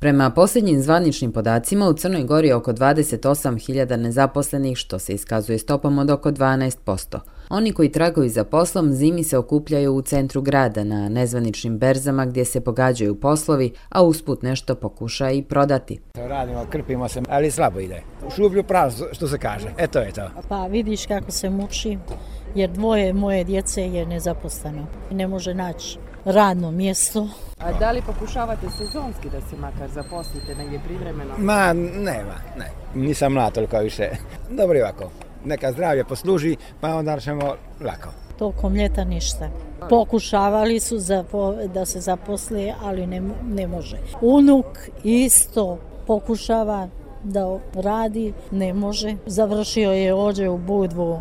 Prema posljednjim zvaničnim podacima, u Crnoj Gori je oko 28.000 nezaposlenih, što se iskazuje stopom od oko 12%. Oni koji tragaju za poslom zimi se okupljaju u centru grada na nezvaničnim berzama gdje se pogađaju poslovi, a usput nešto pokuša i prodati. Radimo, krpimo se, ali slabo ide. U šuplju prazno, što se kaže. Eto je to. Pa vidiš kako se muči, jer dvoje moje djece je nezaposleno. Ne može naći radno mjesto. A da li pokušavate sezonski da se makar zaposlite negdje privremeno? Ma, ne. Nisam mlad toliko više. Dobro je ovako. Neka zdravlje posluži, pa onda ćemo lako. Tokom ljeta ništa. Pokušavali su da se zaposle, ali ne može. Unuk isto pokušava da radi, ne može. Završio je ovdje u Budvu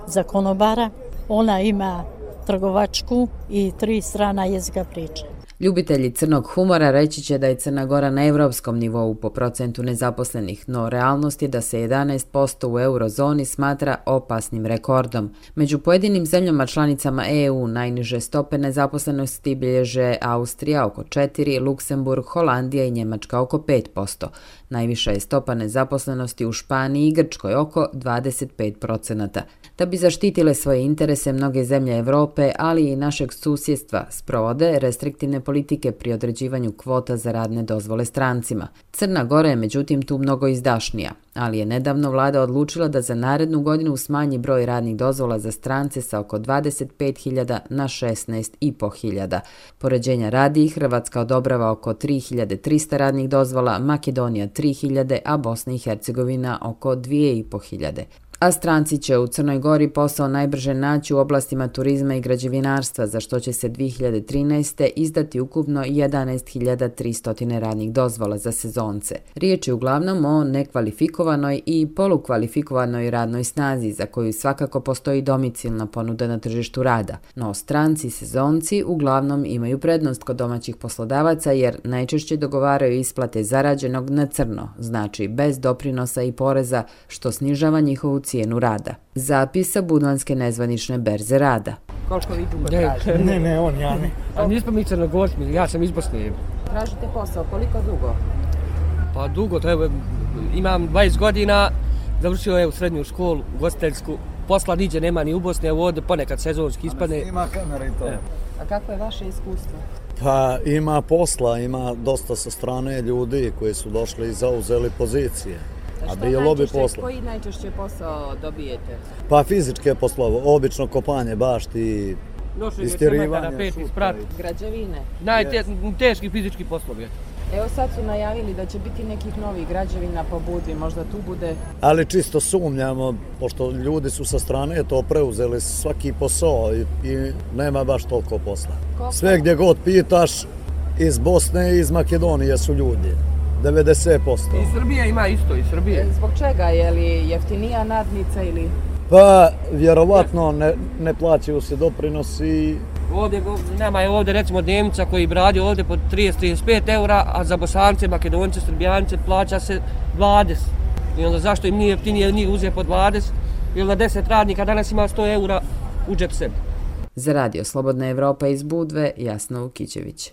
za konobara. Ona ima trgovačku i 3 strana jezika priča. Ljubitelji crnog humora reći će da je Crna Gora na europskom nivou po procentu nezaposlenih, no realnost je da se 11% u eurozoni smatra opasnim rekordom. Među pojedinim zemljama članicama EU najniže stope nezaposlenosti bilježe Austrija oko 4%, Luksemburg, Holandija i Njemačka oko 5%. Najviša je stopa nezaposlenosti u Španiji i Grčkoj oko 25%. Da bi zaštitile svoje interese, mnoge zemlje Europe, ali i našeg susjedstva, sprovode restriktivne politike pri određivanju kvota za radne dozvole strancima. Crna Gora je međutim tu mnogo izdašnija, ali je nedavno vlada odlučila da za narednu godinu smanji broj radnih dozvola za strance sa oko 25.000 na 16.500. Poređenja radi, Hrvatska odobrava oko 3.300 radnih dozvola, Makedonija 3.000, a Bosna i Hercegovina oko 2.500. A stranci će u Crnoj Gori posao najbrže naći u oblastima turizma i građevinarstva, za što će se 2013. izdati ukupno 11.300 radnih dozvola za sezonce. Riječ je uglavnom o nekvalifikovanoj i polukvalifikovanoj radnoj snazi, za koju svakako postoji domicilna ponuda na tržištu rada. No stranci i sezonci uglavnom imaju prednost kod domaćih poslodavaca jer najčešće dogovaraju isplate zarađenog na crno, znači bez doprinosa i poreza, što snižava njihovu cijenu rada. Zapis sa budvanske nezvanične berze rada. Koliko vi dugo tražite? Ne, ja ne. A nismo mi Crnogorci, ja sam iz Bosne. Tražite posao, koliko dugo? Pa dugo, imam 20 godina, završio je u srednju školu, ugostiteljsku. Posla niđe nema ni u Bosni, evo ovdje ponekad sezonski ispadne. Ima kamera i to. A kako je vaše iskustvo? Pa ima posla, ima dosta sa strane ljudi koji su došli i zauzeli pozicije. A bilo bi posla. Koji najčešće posao dobijete? Pa fizičke poslove, obično kopanje bašti, istirivanje, građevine. Teški fizički poslovi. Evo sad su najavili da će biti nekih novih građevina po Budvi, možda tu bude. Ali čisto sumnjamo, pošto ljudi su sa strane to preuzeli svaki posao i nema baš toliko posla. Sve gdje god pitaš, iz Bosne i iz Makedonije su ljudi. 90%. I Srbija ima isto, i Srbije. Zbog čega? Je li jeftinija nadnica ili? Pa, vjerovatno ne plaćaju se doprinosi. Nama je ovdje recimo Njemca koji bi radio ovdje po 30-35 eura, a za Bosance, Makedonce, Srbijance plaća se 20. I onda zašto im nije jeftinije njih uzeti po 20? Ili na 10 radnika danas ima 100 eura u džep sebi. Za Radio Slobodna Evropa iz Budve, Jasna Vukićević.